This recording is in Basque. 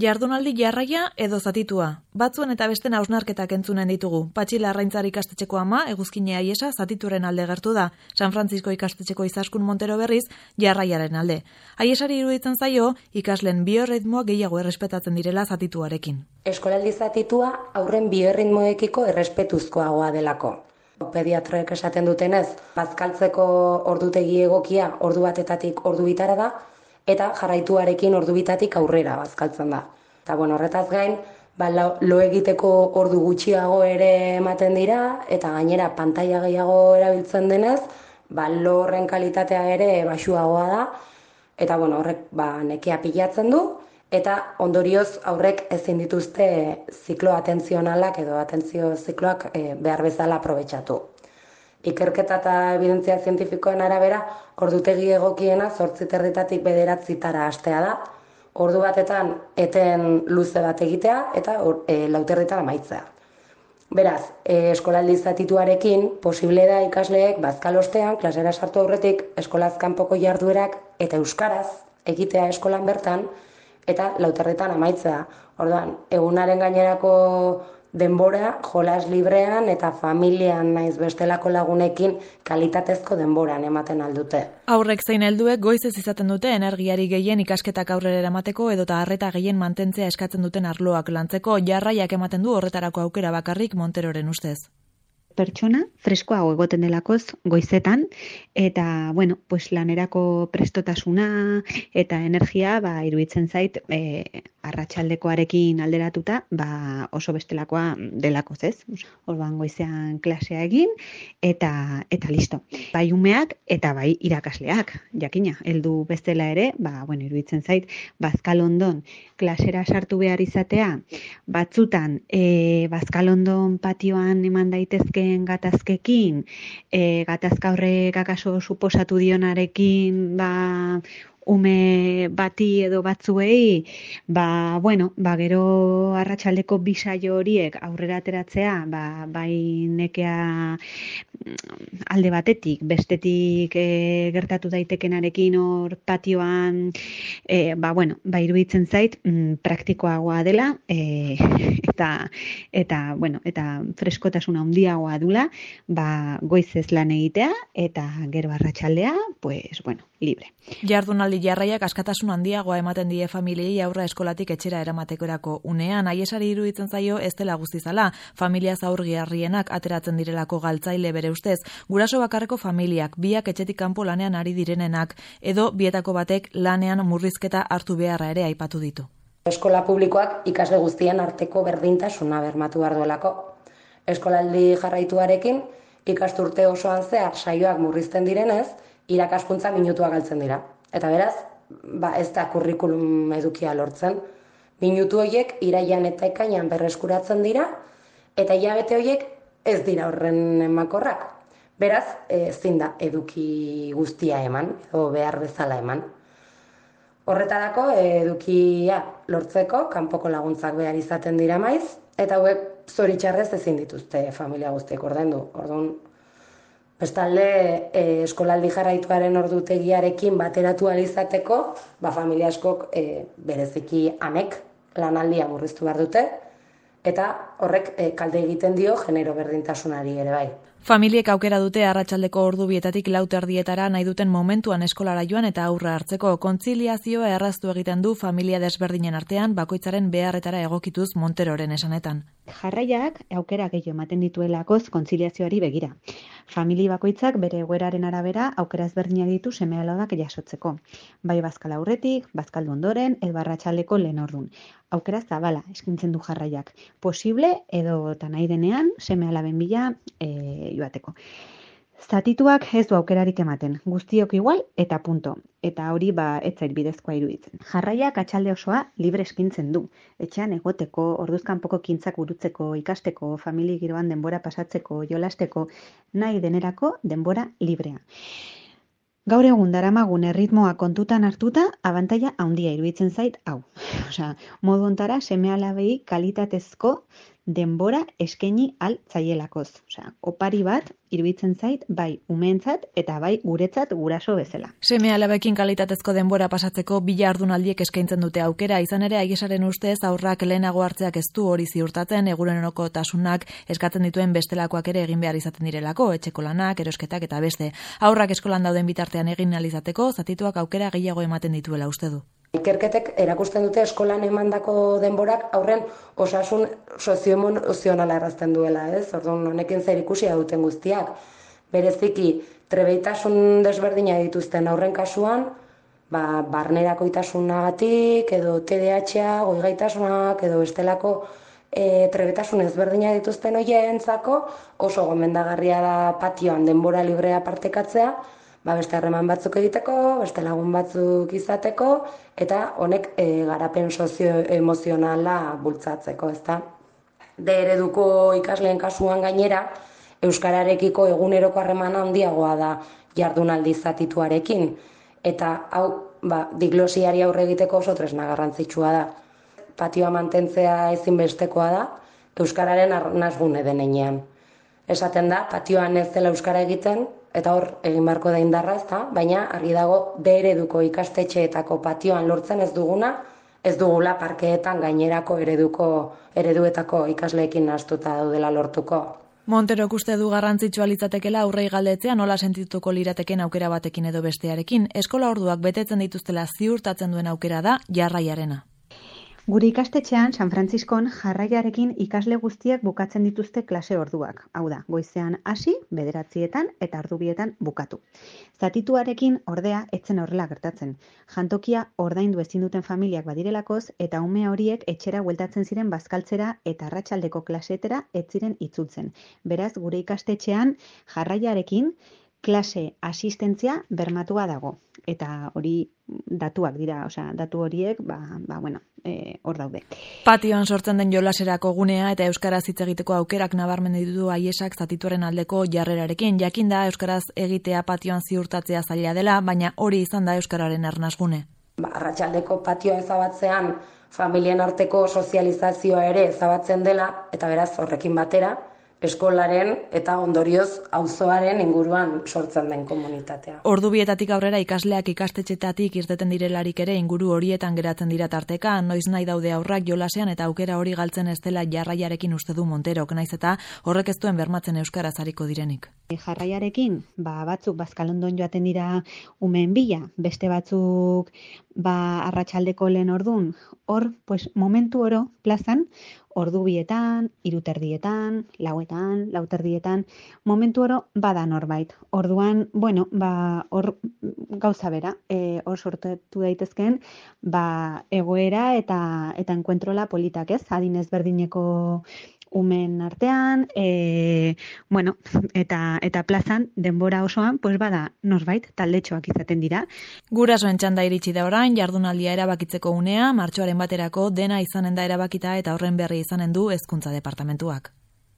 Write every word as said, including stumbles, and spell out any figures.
Jardunaldi jarraia edo zatitua. Batzuen eta besten hausnarketak entzunen ditugu. Patxi Larraintzar ikastetxeko ama, Eguzkine Aiesa, zatituren alde gertu da. San Francisco ikastetxeko Izaskun Montero berriz, jarraiaren alde. Aiesari iruditzen zaio, ikaslen biorritmoa gehiago errespetatzen direla zatituarekin. Eskolaldi zatitua aurren biorritmoekiko errespetuzkoagoa delako. Pediatroek esaten dutenez, bazkaltzeko ordutegi egokia ordu batetatik ordu bitara da, eta jarraituarekin ordu bitatik aurrera bazkaltzen da. Eta bueno, horretaz gain, ba, lo egiteko ordu gutxiago ere ematen dira, eta gainera pantaila gehiago erabiltzen denez, ba, lo horren kalitatea ere baxuagoa da, eta bueno, horrek ba, nekea pilatzen du, eta ondorioz aurrek ezin dituzte ziklo atentzionalak edo atentzio zikloak e, behar bezala aprobetxatu. Ikerketa eta evidentzia zientifikoen arabera, ordutegi egokiena zortzi territatik bederatzitara hastea da, ordu batetan eten luze bat egitea eta e, lauterritan amaitzea. Beraz, e, eskolaldi zatituarekin posible da ikasleek bazkalostean, klasera sartu aurretik, eskolaz kanpoko jarduerak eta euskaraz egitea eskolan bertan, eta lauterritan amaitzea. Orduan, egunaren gainerako denbora, jolas librean eta familian naiz bestelako lagunekin kalitatezko denboran ematen aldute. Aurrek zein helduek goizez izaten dute energiari gehien ikasketak aurrera eramateko edota harreta gehien mantentzea eskatzen duten arloak lantzeko, jarraiak ematen du horretarako aukera bakarrik Monteroren ustez. Pertsona freskoago egoten delakoz goizetan, eta bueno, pues lanerako prestotasuna eta energia ba, iruditzen zait e, arratsaldekoarekin alderatuta ba, oso bestelakoa delakoz, ez? Orduan goizean klasea egin eta eta listo. Bai umeak eta bai irakasleak, jakina, heldu bestela ere, ba, bueno, iruditzen zait bazkalondon klasera sartu behar izatea, batzutan e, bazkalondon patioan eman daitezke gatazkekin, e, gatazka horrek akaso suposatu dionarekin ba, ume bati edo batzuei, ba, bueno, ba, gero arratsaldeko bisaio horiek aurrera ateratzea, ba, bai nekea alde batetik, bestetik e, gertatu daitekenarekin hor patioan, e, ba, bueno, ba, iruditzen zait, mm, praktikoagoa dela, e, eta, eta, bueno, eta freskotasuna handiagoa dula, ba, goizez lan egitea, eta gero arratsaldea, pues, bueno, libre. Jardunaldi jarraiak askatasun handiagoa ematen die familiei aurra eskolatik etxera eramatekorako unean, Aiesari iruditzen zaio ez dela guztizala, familia zaurgarrienak ateratzen direlako galtzaile bere ustez, guraso bakarreko familiak, biak etxetik kanpo lanean ari direnenak, edo bietako batek lanean murrizketa hartu beharra ere aipatu ditu. Eskola publikoak ikasle guztien arteko berdintasuna bermatu behar duelako. Eskolaldi jarraituarekin, ikasturte osoan zehar saioak murrizten direnez, irakaskuntza minutua galtzen dira. Eta beraz, ba, ez da kurrikulum edukia lortzen. Minutu horiek iraian eta ekainan berreskuratzen dira, eta hilabete horiek ez dira horren emakorrak. Beraz, ezin da eduki guztia eman, edo behar bezala eman. Horretarako, edukia lortzeko, kanpoko laguntzak behar izaten dira maiz, eta hauek zoritxarrez ezin dituzte familia guztiek ordaindu. Orduan, bestalde, e, eskolaldi jarraituaren ordutegiarekin bateratu alizateko, ba, familia askok e, bereziki amek lanaldia murriztu behar dute, eta horrek e, kalde egiten dio genero berdintasunari ere bai. Familiek aukera dute arratsaldeko ordu bietatik lau terdietara nahi duten momentuan eskolara joan eta aurra hartzeko. Kontziliazioa erraztu egiten du familia desberdinen artean bakoitzaren beharretara egokituz Monteroren esanetan. Jarraiak aukera gehiago ematen dituelakoz kontziliazioari begira. Famili bakoitzak bere egoeraren arabera aukera ezberdinak ditu seme-alabak jasotzeko. Bai bazkal aurretik, bazkaldu ondoren, edo arratsaldeko lehen ordun. Aukera zabala eskintzen du jarraiak. Posible edo eta nahi denean seme-alaben bila e, joateko. Zatituak ez du aukerarik ematen, guztiok igual eta punto. Eta hori ba ez zait bidezkoa iruditzen. Jarraiak atxalde osoa libre eskintzen du. Etxean egoteko, orduzkanpoko kintzak burutzeko, ikasteko, famili giroan denbora pasatzeko, jolasteko, nahi denerako denbora librea. Gaur egun daramagun erritmoa kontutan hartuta, abantaila handia iruditzen zait hau. Osea, modu hontara seme-alabei kalitatezko denbora eskaini altzaielakoz. Osea, opari bat iruditzen zait bai umeentzat eta bai guretzat guraso bezala. Seme alabekin kalitatezko denbora pasatzeko bi jardunaldiek eskaintzen dute aukera, izan ere Aiesaren ustez aurrak lehenago hartzeak ez du hori ziurtatzen, egunerokotasunak eskatzen dituen bestelakoak ere egin behar izaten direlako, etxeko lanak, erosketak eta beste. Aurrak eskolan dauden bitartean egin ahal izateko, zatituak aukera gehiago ematen dituela uste du. Ikerketek erakusten dute eskolan emandako denborak aurren osasun sozioemozionala errazten duela, ez? Orduan honekin zer ikusia duten guztiak. Bereziki trebeitasun desberdina dituzten aurren kasuan, ba barnerakoitasunagatik edo T D A H, goigaitasunak edo bestelako e, trebetasun ezberdina dituzten hoientzako oso gomendagarria da patioan denbora librea partekatzea. Ba, beste harreman batzuk egiteko, beste lagun batzuk izateko, eta honek e, garapen sozioemozionala bultzatzeko, ezta? D ereduko ikasleen kasuan gainera, euskararekiko eguneroko harremana handiagoa da jardunaldi zatituarekin, eta hau, ba, diglosiari aurre egiteko oso tresna garrantzitsua da. Patioa mantentzea ezinbestekoa da, euskararen arnasgune denean. Esaten da, patioan ez dela euskara egiten, eta hor egin beharko da indarra, ezta? Baina argi dago D ereduko ikastetxeetako patioan lortzen ez duguna, ez dugula parkeetan gainerako ereduko ereduetako ikasleekin nahastuta daudela lortuko. Monterok uste du garrantzitsua litzatekeela aurrei galdetzea nola sentituko lirateken aukera batekin edo bestearekin. Eskola orduak betetzen dituztela ziurtatzen duen aukera da jarraiarena. Gure ikastetxean San Frantziskon jarraiarekin ikasle guztiak bukatzen dituzte klase orduak. Hau da, goizean hasi, bederatzietan eta ordubietan bukatu. Zatituarekin ordea etzen horrela gertatzen. Jantokia ordaindu ezin duten familiak badirelakoz eta ume horiek etxera bueltatzen ziren bazkaltzera eta arratsaldeko klasetera ez ziren itzultzen. Beraz, gure ikastetxean jarraiarekin klase asistentzia bermatua dago. Eta hori datuak dira, osea, datu horiek, ba, ba bueno, eh, hor daude. Patioan sortzen den jolaserako gunea eta euskaraz hitz egiteko aukerak nabarmen ditu Aiesak zatituaren aldeko jarrerarekin. Jakinda euskaraz egitea patioan ziurtatzea zaila dela, baina hori izan da euskararen arnasgune. Ba, arratsaldeko patioa ezabatzean familien arteko sozializazioa ere ezabatzen dela, eta beraz horrekin batera, eskolaren eta ondorioz auzoaren inguruan sortzen den komunitatea. Ordubietatik aurrera ikasleak ikastetxetatik irteten direlarik ere inguru horietan geratzen dira tarteka, noiz nahi daude aurrak jolasean eta aukera hori galtzen ez dela jarraiarekin uste du Monterok, naiz eta horrek ez duen bermatzen euskaraz ariko direnik. Jarraiarekin, ba, batzuk bazkalondon joaten dira umeen bila, beste batzuk ba, arratsaldeko lehen ordun, hor, pues, momentu oro plazan, ordu bietan, iruterdietan, lauetan, lauterdietan, momentu oro bada norbait. Orduan, bueno, ba, hor gauza bera, e, hor sortu daitezkeen, ba, egoera eta eta enkuentrola politak, ez? Adin ezberdineko umen artean, e, bueno, eta eta plazan denbora osoan, pues bada norbait taldetxoak izaten dira. Gurasoen txanda iritsi da orain, jardunaldia erabakitzeko unea, martxoaren baterako dena izanen da erabakita eta horren berri izanen du Hezkuntza Departamentuak.